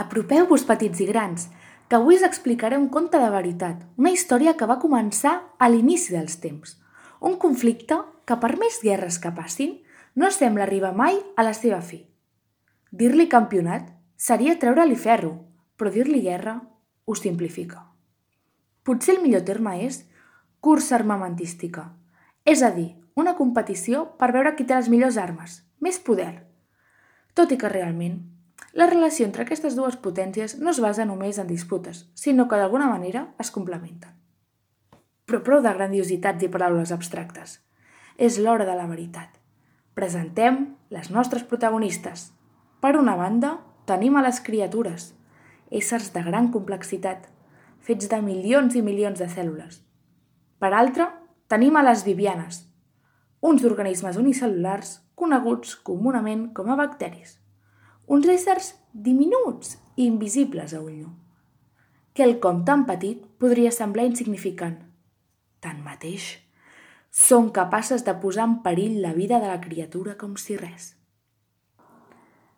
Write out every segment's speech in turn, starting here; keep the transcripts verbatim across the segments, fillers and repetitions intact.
Apropeu-vos, petits i grans, que avui us explicaré un conte de veritat, una història que va començar a l'inici dels temps. Un conflicte que, per més guerres que passin, no sembla arribar mai a la seva fi. Dir-li campionat seria treure-li ferro, però dir-li guerra ho simplifica. Potser el millor terme és cursa armamentística, és a dir, una competició per veure qui té les millors armes, més poder. Tot i que realment, la relació entre aquestes dues potències no es basa només en disputes, sinó que d'alguna manera es complementen. Però prou de grandiositats i paraules abstractes. És l'hora de la veritat. Presentem les nostres protagonistes. Per una banda, tenim a les criatures, éssers de gran complexitat, fets de milions i milions de cèl·lules. Per altra, tenim a les vivianes, uns organismes unicel·lulars coneguts comunament com a bacteris. Uns éssers diminuts i invisibles a ull nu. Quelcom tan petit podria semblar insignificant. Tanmateix, són capaces de posar en perill la vida de la criatura com si res.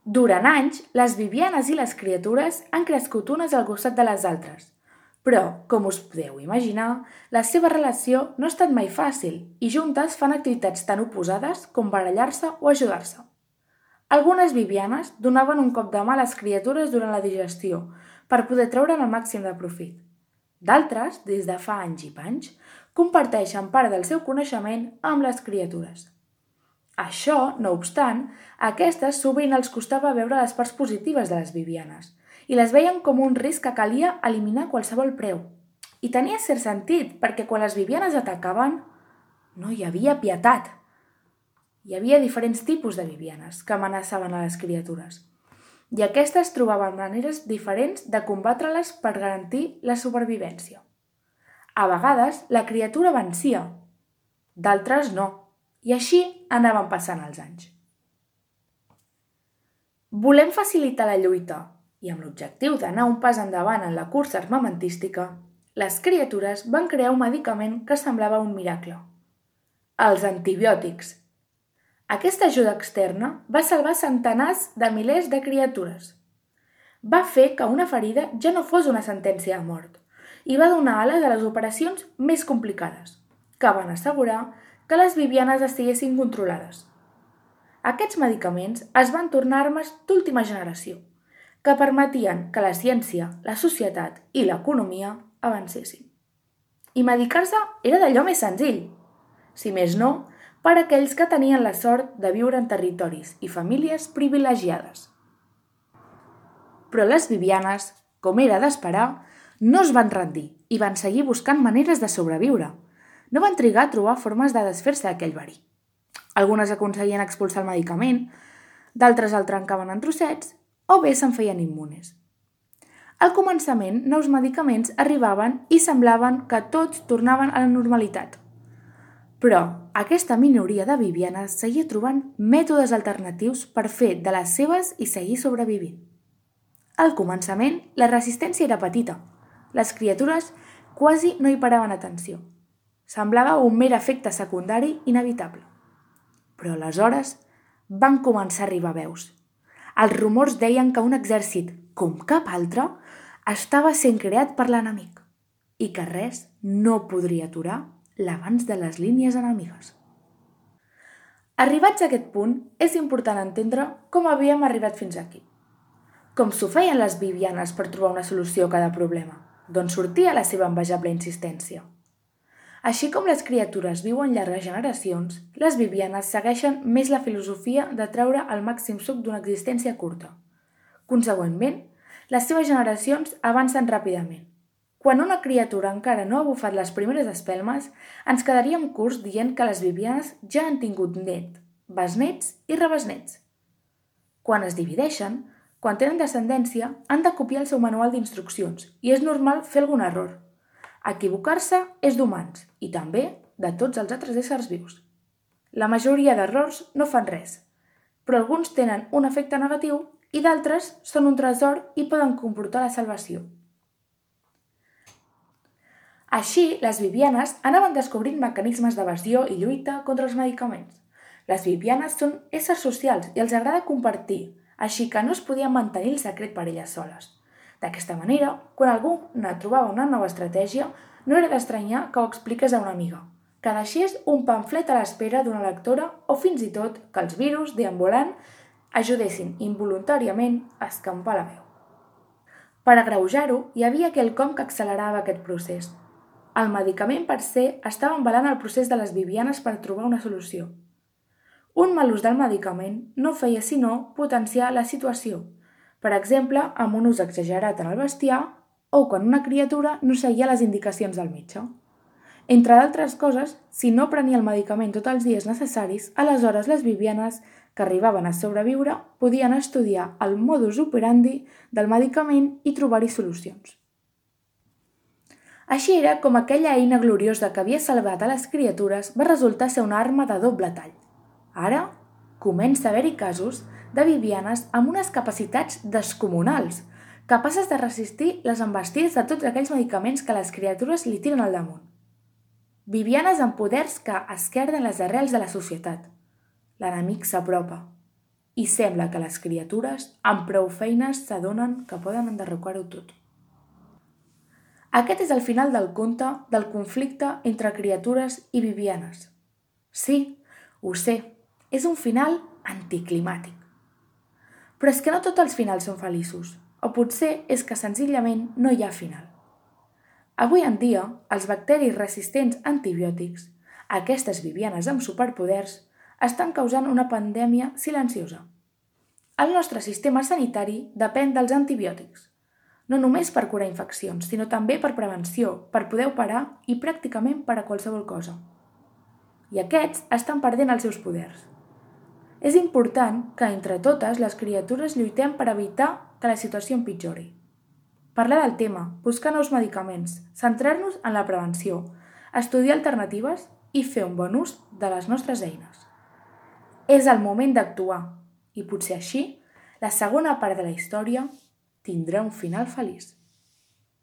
Durant anys, les vivianes i les criatures han crescut unes al costat de les altres, però, com us podeu imaginar, la seva relació no ha estat mai fàcil i juntes fan activitats tan oposades com barallar-se o ajudar-se. Algunes vivianes donaven un cop de mà a les criatures durant la digestió per poder treure'n el màxim de profit. D'altres, des de fa anys i panys, comparteixen part del seu coneixement amb les criatures. Això, no obstant, a aquestes sovint els costava veure les parts positives de les vivianes i les veien com un risc que calia eliminar a qualsevol preu. I tenia cert sentit, perquè quan les vivianes atacaven, no hi havia pietat. Hi havia diferents tipus de vivianes que amenaçaven a les criatures i aquestes trobaven maneres diferents de combatre-les per garantir la supervivència. A vegades, la criatura vencia, d'altres no, i així anaven passant els anys. Volem facilitar la lluita i amb l'objectiu d'anar un pas endavant en la cursa armamentística, les criatures van crear un medicament que semblava un miracle: els antibiòtics. Aquesta ajuda externa va salvar centenars de milers de criatures. Va fer que una ferida ja no fos una sentència de mort i va donar ales a les operacions més complicades, que van assegurar que les vivianes estiguessin controlades. Aquests medicaments es van tornar armes d'última generació, que permetien que la ciència, la societat i l'economia avancessin. I medicar-se era d'allò més senzill, si més no, per a aquells que tenien la sort de viure en territoris i famílies privilegiades. Però les vivianes, com era d'esperar, no es van rendir i van seguir buscant maneres de sobreviure. No van trigar a trobar formes de desfer-se d'aquell verí. Algunes aconseguien expulsar el medicament, d'altres el trencaven en trossets o bé se'n feien immunes. Al començament, nous medicaments arribaven i semblaven que tots tornaven a la normalitat. Però aquesta minoria de vivianes seguia trobant mètodes alternatius per fer de les seves i seguir sobrevivint. Al començament, la resistència era petita. Les criatures quasi no hi paraven atenció. Semblava un mer efecte secundari inevitable. Però aleshores van començar a arribar veus. Els rumors deien que un exèrcit, com cap altre, estava sent creat per l'enemic i que res no podria aturar l'avanç de les línies enemigues. Arribats a aquest punt, és important entendre com havíem arribat fins aquí. Com s'ho feien les vivianes per trobar una solució a cada problema, d'on sortia la seva envejable insistència. Així com les criatures viuen llargues generacions, les vivianes segueixen més la filosofia de treure el màxim suc d'una existència curta. Consegüentment, les seves generacions avancen ràpidament. Quan una criatura encara no ha bufat les primeres espelmes, ens quedaríem curts dient que les vivianes ja han tingut net, besnets i rebesnets. Quan es divideixen, quan tenen descendència, han de copiar el seu manual d'instruccions i és normal fer algun error. Equivocar-se és d'humans i també de tots els altres éssers vius. La majoria d'errors no fan res, però alguns tenen un efecte negatiu i d'altres són un tresor i poden comportar la salvació. Així, les vivianes anaven descobrint mecanismes d'evasió i lluita contra els medicaments. Les vivianes són éssers socials i els agrada compartir, així que no es podia mantenir el secret per elles soles. D'aquesta manera, quan algú ne trobava una nova estratègia, no era d'estranyar que ho expliqués a una amiga, que deixés un pamflet a l'espera d'una lectora o fins i tot que els virus deambulant ajudessin involuntàriament a escampar la veu. Per agreujar-ho, hi havia quelcom que accelerava aquest procés. El medicament per se estava embalant el procés de les Vivianes per trobar una solució. Un mal ús del medicament no feia sinó potenciar la situació, per exemple, amb un ús exagerat en el bestiar o quan una criatura no seguia les indicacions del metge. Entre d'altres coses, si no prenia el medicament tots els dies necessaris, aleshores les Vivianes que arribaven a sobreviure podien estudiar el modus operandi del medicament i trobar-hi solucions. Així era com aquella eina gloriosa que havia salvat a les criatures va resultar ser una arma de doble tall. Ara comença a haver-hi casos de Vivianes amb unes capacitats descomunals, capaces de resistir les embestides de tots aquells medicaments que les criatures li tiren al damunt. Vivianes amb poders que esquerden les arrels de la societat. L'enemic s'apropa i sembla que les criatures amb prou feines s'adonen que poden enderrocar-ho tot. Aquest és el final del conte del conflicte entre criatures i Vivianes. Sí, ho sé, és un final anticlimàtic. Però és que no tots els finals són feliços, o potser és que senzillament no hi ha final. Avui en dia, els bacteris resistents a antibiòtics, aquestes Vivianes amb superpoders, estan causant una pandèmia silenciosa. El nostre sistema sanitari depèn dels antibiòtics, no només per curar infeccions, sinó també per prevenció, per poder operar i pràcticament per a qualsevol cosa. I aquests estan perdent els seus poders. És important que entre totes les criatures lluitem per evitar que la situació empitjori. Parlar del tema, buscar nous medicaments, centrar-nos en la prevenció, estudiar alternatives i fer un bon ús de les nostres eines. És el moment d'actuar i potser així la segona part de la història tindrà un final feliç.